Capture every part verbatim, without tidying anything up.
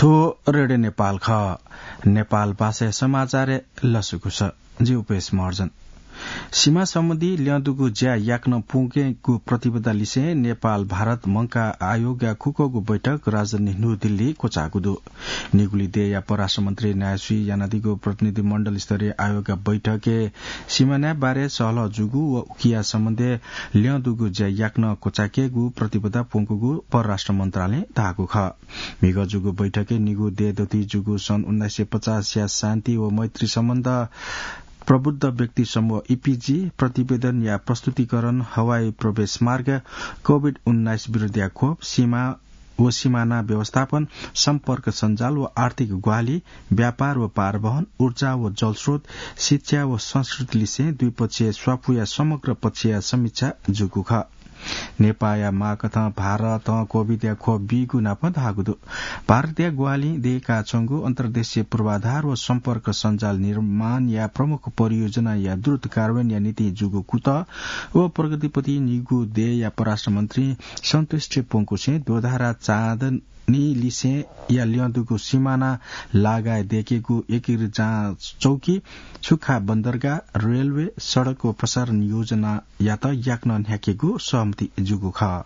थ्व रेडियो नेपाल खः। नेपाल भाषाया समाचारय् लसकुस। जि उपेश महर्जन। सीमा सम्बन्धी ल्यं दुगु ज्या याकनं प्वंकेगु प्रतिबद्धता लिसें नेपाल भारत मंकाः आयोगया खुक्वःगु बैठक राजधानी न्यू दिल्ली क्वचाःगु दु। निगुली देय्‌या परराष्ट्र मन्त्री नायःसुइ यानादीगु प्रतिनिधि मण्डल स्तरीय आयोगया बैठकय् सीमानाय् बारे सहलह जूगु व उकिया सम्बन्धय् ल्यं दुगु ज्या याकनं क्वचायेकेगु प्रतिबद्धता प्वंकूगु परराष्ट्र मन्त्रालयं धाःगु खः। म्हिगः जूगु बैठकय् निगू देय् दथुइ जूगु सन् उन्नाइस सय पचासया शान्ति व मैत्री सम्बन्ध, प्रबुद्ध व्यक्ति समूह, ईपीजी, प्रतिवेदनया प्रस्तुतिकरण, हवाई प्रवेश मार्ग, कोभिड उन्नाइस विरुद्धया खोप, सीमा व सीमाना व्यवस्थापन, सम्पर्क सञ्जाल व आर्थिक ग्वाहालि, व्यापार व पारवहन, ऊर्जा व जलस्रोत, शिक्षा व संस्कृति लिसें द्विपक्षीय स्वापूया समग्र पक्षया समीक्षा जूगु खः। नेपाःया मागकथं भारतं कोभिडया खोप बीगु नाप धाःगु दु। भारतया ग्वाहालिं दयेकाच्वंगु अन्तर्देशीय पूर्वाधार व सम्पर्क सञ्जाल निर्माणया प्रमुख परियोजनाया द्रुत कार्यान्वयनया निंतिं जूगु कुतः व प्रगतिप्रति निगू देय्‌या परराष्ट्र मन्त्री सन्तुष्टि प्वंकुसें दोधारा चाँदनी लिसेंया ल्यं दुगु सीमाना लागाय् दयेकेगु एकीकृत जाँच चौकी, सुक्खा बन्दरगाह, रेलवे, सडक व प्रसारण योजनायात याकनं न्ह्याकेगु सहमति जूगु खः।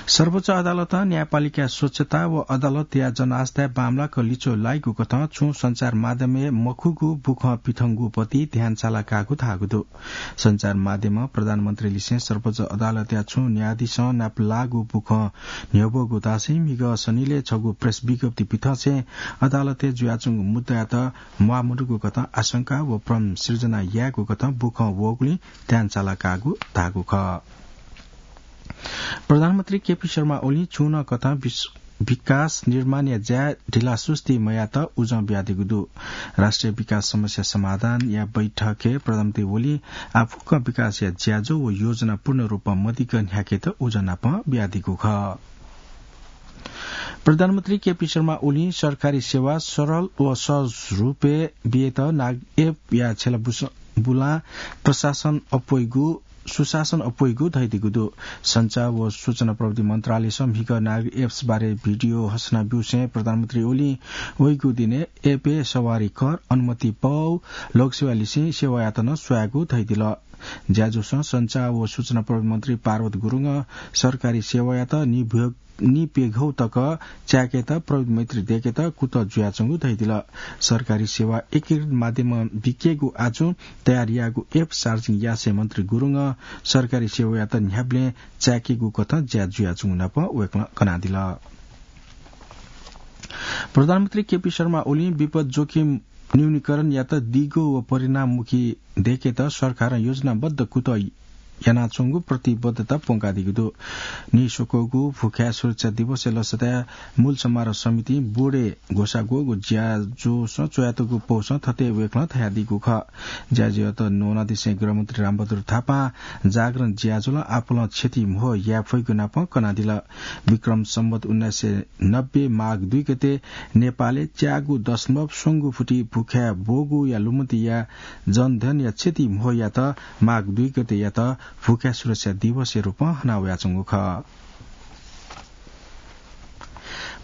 सर्वोच्च अदालतं न्यायपालिकाया स्वच्छता व अदालतया जनास्था बांमलाक लिच्वः लाइगु कथं छुं सञ्चार माध्यमय् मखुगु बुखँ पिथंगु प्रति ध्यान चाला काःगु धाःगु दु। सञ्चार माध्यमं प्रधानमन्त्री लिसें सर्वोच्च अदालतया छुं न्यायाधीशं नापलाःगु बुखँ न्ह्यब्वःगु धासें म्हिगः सनिलय् छगू प्रेस विज्ञप्ति पिथंसें अदालतय् जुयाच्वंगु मुद्दायात म्वाःमदुगु कथं आशंका व भ्रम सिर्जना यायेगु कथं बुखँ वःगुलिं ध्यान चाला काःगु धाःगु खः। प्रधानमन्त्री केपी शर्मा ओलीं छुं नं कथं विस-, विकास निर्माणया ज्याय् ढिलासुस्ती मयायेत उजं बियादीगु दु। राष्ट्रिय विकास समस्या समाधानया बैठकय् प्रधानमन्त्री ओलीं आः फुक्कं विकासया ज्याझ्वः व योजना पूर्ण रूपं मदिक्क न्ह्याकेत उजं नाप बियादीगु खः। प्रधानमन्त्री केपी शर्मा ओलीं सरकारी सेवा सरल व सहज रूपय् बियेत नाग एपया छ्यला बुस-, बुलां प्रशासन अप्वइगु, सुशासन अप्वइगु धयादीगु दु। सञ्चार व सूचना प्रविधि मन्त्रालयसं म्हिगः नाग एप्स बारे भिडियो हसना ब्यूसें प्रधानमन्त्री ओलीं वइगु दिनय् एपय् सवारी कर, अनुमति पौ, लोकसेवा लिसें सेवायात नं स्वयागु धयादिल। ज्याझ्वलय् सञ्चार व सूचना प्रविधि मन्त्री पार्वत गुरुङं सरकारी सेवायात निभ्व-, निप्यघौ तक चाय्‌केत प्रविधि मैत्री दय्‌केत कुतः जुयाच्वंगु धयादिल। सरकारी सेवा एकीकृत माध्यमं बिकेगु आजुं तयार याःगु एप सार्वजनिक यासें मन्त्री गुरुङं सरकारी सेवायात न्ह्याबलें चाय्‌केगु कथं ज्या जुयाच्वंगु नाप वय्‌कलं कनादिल। प्रधानमन्त्री केपी शर्मा ओलीं विपद जोखिम न्यूनीकरणयात दिगो व परिणाममुखी दय्‌केत सरकारं योजनाबद्ध कुतः यानाच्वंगु प्रतिबद्धता प्वंकादीगु दु। नीस्वक्वःगु भुखाय् सुरक्षा दिवसया लसताय् मूल समारोह समितिं बोर्डय् ग्वसाः ग्वःगु ज्याझ्वलय् च्वयातःगु पौसं थथे वय्‌कलं धयादीगु खः। ज्याझ्वःयात न्वनादिसें गृहमन्त्री रामबहादुर थापां जागरण ज्याझ्वलं आपालं क्षति म्हो याये फइगु नाप कनादिल। विक्रम सम्वत उन्नाइस सय नब्बे माघ दुई गते नेपालय् च्यागू दशमलव स्वंगू फुति भुखाय् ब्वःगुया लुमतिया जनधनया क्षति म्होयात माघ दुई गतेयात भुखाय् सुरक्षा दिवसया रूपं हनावयाच्वंगु खः।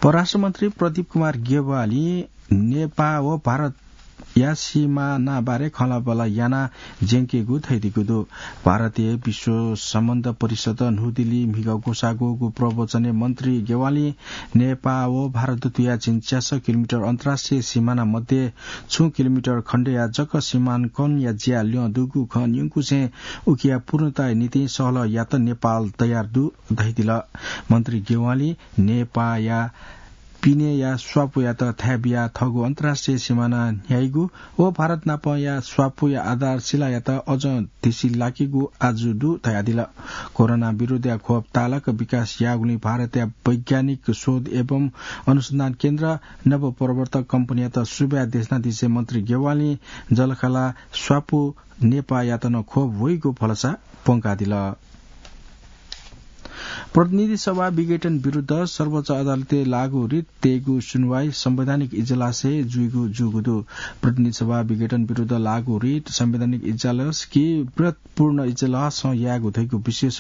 परराष्ट्र मन्त्री प्रदीप कुमार ग्यावालीं नेपाः व भारतया सीमानाबारे खँल्हाबल्हा याना ज्यंकेगु धयादीगु दु। भारतय् विश्व सम्बन्ध परिषद न्हू दिल्ली म्हिगः ग्वसाः ग्वःगु प्रवचनय् मन्त्री ग्यावालीं नेपाः व भारत दथुया झिंच्यासः किलोमिटर अन्तर्राष्ट्रिय सीमाना मध्ये छुं किलोमिटर खण्डया जक सीमाङ्कनया ज्या ल्यं दुगु खँ न्यंकुसें उकिया पूर्णताया निंतिं सहलह यात नेपाल तयार दु धयादिल। मन्त्री ग्यावालीं नेपाःया पिनेया स्वापूयात थाय् बियाः थःगु अन्तर्राष्ट्रिय सीमाना न्ह्याइगु व भारत नापया स्वापूया आधारशिलायात अझ धिसिलाकेगु आजु दु धयादिल। कोरोना विरुद्धया खोप तालक विकास याःगुलिं भारतया वैज्ञानिक शोध एवं अनुसन्धान केन्द्र, नवप्रवर्तक कम्पनीयात सुभाय् देछानादिसें मन्त्री ग्यावालीं जःलाखःला स्वापू नेपाःयात नं खोप वइगु भलसा प्वंकादिल। प्रतिनिधि सभा विघटन विरुद्ध सर्वोच्च अदालतय् लागू रिट तयेगु सुनवाई संवैधानिक इजलासय् जुइगु जूगु दु। प्रतिनिधि सभा विघटन विरुद्ध लागू रिट संवैधानिक इजलास कि वृहत्पूर्ण इजलासं यायेगु धइगु विशेष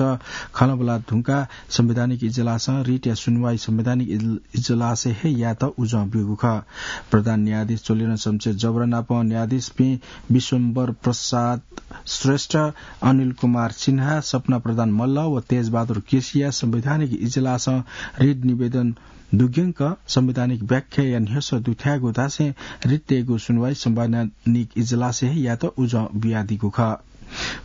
खँल्हाबल्हा धुंकाः संवैधानिक इजलासं रिटया सुनवाई संवैधानिक इज-, इजलासय् हे यायेत उजं ब्यूगु खः। प्रधान न्यायाधीश चोलेन शमशेर जबरा नाप न्यायाधीशपिं विश्वम्बर प्रसाद श्रेष्ठ, अनिल कुमार सिन्हा, सपना प्रधान मल्ल व तेजबहादुर केसीया संवैधानिक इजलासं रिट निवेदन दुग्यंक संवैधानिक व्याख्याया न्ह्यसः दुथ्याःगु धासें रिट तयेगु सुनवाई संवैधानिक इजलासय् हे यायेत उजं बियादीगु खः।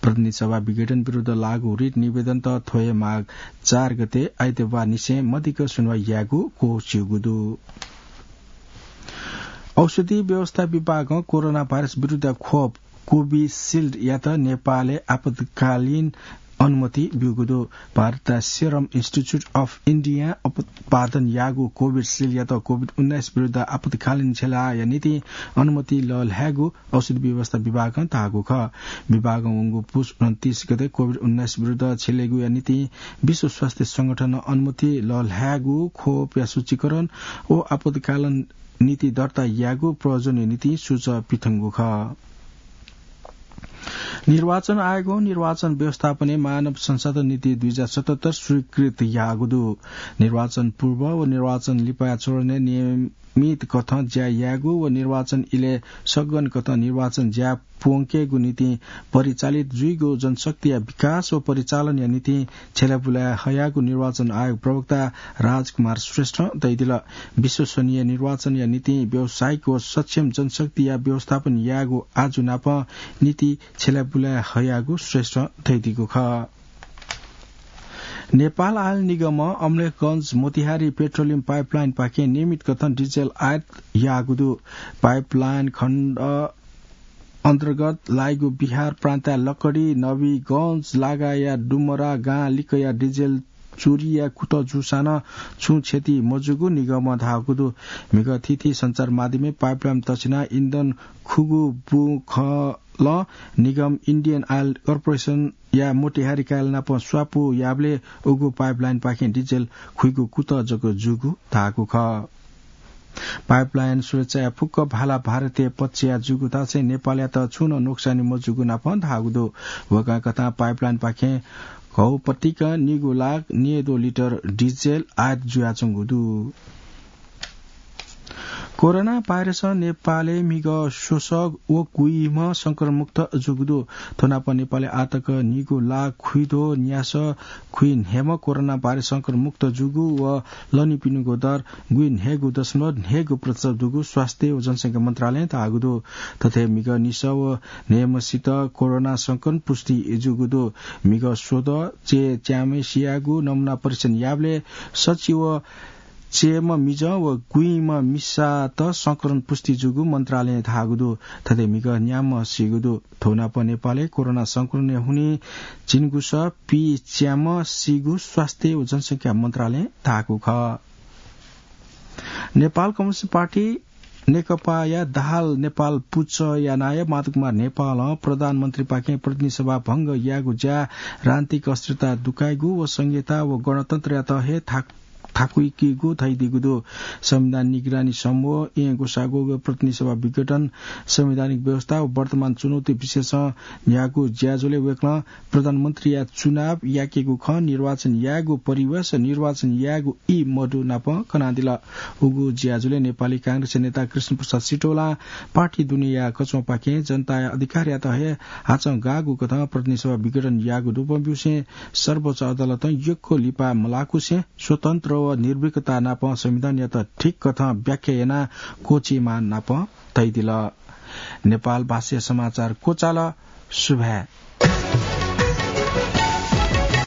प्रतिनिधि सभा विघटन विरुद्ध लागू रिट निवेदनत थ्व हे माघ चार गते आइतबार निसें मदिक्क सुनवाई यायेगु क्वःछिउगु दु। औषधि व्यवस्था विभागं कोरोना भाइरस विरुद्ध खोप कोभिसिल्डयात नेपालय् आपतकालीन अनुमति ब्यूगु दु। भारतया Serum Institute of India उत्पादन याःगु कोभिसिल्डयात कोभिड उन्नाइस विरुद्ध आपतकालीन झेलाया निंतिं अनुमति लःल्हायेगु औषधि व्यवस्था विभागं धाःगु खः। विभागं वंगु पुस उनन्तीस गते कोभिड उन्नाइस विरुद्ध झेलेगुया निंतिं विश्व स्वास्थ्य संगठनं अनुमति लःल्हायेगु खोपया सूचीकरण व आपतकालीन नीति दर्ता यायेगु प्रयोजनया निंतिं सुझाव पिथंगु खः। निर्वाचन आयोगं निर्वाचन व्यवस्थापनय् मानव संसाधन नीति दुई हजार सतहत्तर स्वीकृत याःगु दु। निर्वाचन पूर्व व निर्वाचन लिपाया चरणय् नियमित कथं ज्या यायेगु व निर्वाचन इलय् सघन कथं निर्वाचन ज्या प्वंकेगु निंतिं परिचालित जुइगु जनशक्तिया विकास व परिचालनया निंतिं छ्यलाबुलाय् हयागु निर्वाचन आयोग प्रवक्ता राजकुमार श्रेष्ठं धयादिल। विश्वसनीय निर्वाचनया निंतिं व्यावसायिक व सक्षम जनशक्तिया व्यवस्थापन यायेगु आजु नापं नीति छ्यलाबुलाय् हयागु श्रेष्ठं धयादीगु खः। नेपाल आयल निगमं अमलेखगञ्ज मोतिहारी पेट्रोलियम पाइपलाइनपाखें नियमित कथं डिजेल आयात याःगु दु। पाइपलाइन खण्ड अन्तर्गत लाइगु बिहार प्रान्तया लकडी, नवीगञ्ज लगायतया डुमरा गां लिक्कया डिजेल चोरीया कुतः जूसां नं छुं क्षति मजूगु निगमं धाःगु दु। म्हिगः थीथी सञ्चार माध्यमय् पाइपलाइन तछिना इन्धन खुगू बुँ खलं निगम इन्डियन आयल कर्पोरेसनया मोतिहारी कार्यालय नाप स्वापू याःबलय् उगु पाइपलाइनपाखें डिजेल खुइगु कुतः जक जूगु धाःगु खः। पाइपलाइन सुरक्षाया फुक्क भाला भारतीय पक्षया जूगु धासें नेपालयात छुं नं नोक्सानी मजूगु नापं धाःगु दु। वय्कलं कथं पाइपलाइनपाखें घौपतिक निगू लाख न्यय्दँ लिटर डिजेल आयात जुयाच्वंगु दु। कोरोना भाइरसं नेपालय् म्हिगः स्वसः व गुइम्ह संक्रमणमुक्त जूगु दु। थ्व नाप नेपालय् आःतक निगू लाख खुइद्वः न्यासः खुइन्हय्म्ह कोरोना भाइरस संक्रमणमुक्त जूगु व लनिपिनिगु दर गुइन्हय्गू दशमलव न्हय्गू प्रतिशत दुगु स्वास्थ्य व जनसंख्या मन्त्रालयं धाःगु दु। थथे म्हिगः निसः व न्हय्म्हसित कोरोना संक्रमण पुष्टि जूगु दु। म्हिगः स्वदँ चय् च्याम्हसियागु नमुना परीक्षण याःबलय् सछि व चय्म्ह मिजं व गुइम्ह मिसात संक्रमण पुष्टि जूगु मन्त्रालयं धाःगु दु। थथे म्हिगः न्याम्हसिगु दु। थ्व नाप नेपालय् कोरोना संक्रमणया हुनिं झिंगुसः पीच्याम्हसिगु स्वास्थ्य व जनसंख्या मन्त्रालयं धाःगु खः। नेपाल कम्युनिस्ट पार्टी नेकपाया दाहाल नेपाल पुचःया नायः माधव कुमार नेपालं प्रधानमन्त्रीपाखें प्रतिनिधि सभा भंग यायेगु ज्या राजनीतिक अस्थिरता दुकाइगु व संघीयता व गणतन्त्रयात हे थाक थाकुइकीगु धइदीगु दु। संविधान निगरानी समूह, येँ ग्वसाः ग्वःगु प्रतिनिधि सभा विघटन, संवैधानिक व्यवस्था व वर्तमान चुनौती विषयसं न्ह्याःगु ज्याझ्वलय् वय्कलं प्रधानमन्त्रीया चुनाव याकेगु खँ, निर्वाचन यायेगु परिवेश, निर्वाचन यायेगु ई मदु नाप कनादिल। उगु ज्याझ्वलय् नेपाली कांग्रेसया नेता कृष्ण प्रसाद सिटौलां पार्टी दुनेया कचंपाखें जनताया अधिकारयात हे हाचं गाःगु कथं प्रतिनिधि सभा विघटन याःगु दुबं ब्यूसें सर्वोच्च अदालतं यक्व लिपा मलाकुसें स्वतन्त्र व निर्भीकता नाप संविधानयात ठीक कथं व्याख्या यानाः क्वःछियेमाः नाप धइदिल। नेपाल भाषाया समाचार क्वचाल। सुभाय्।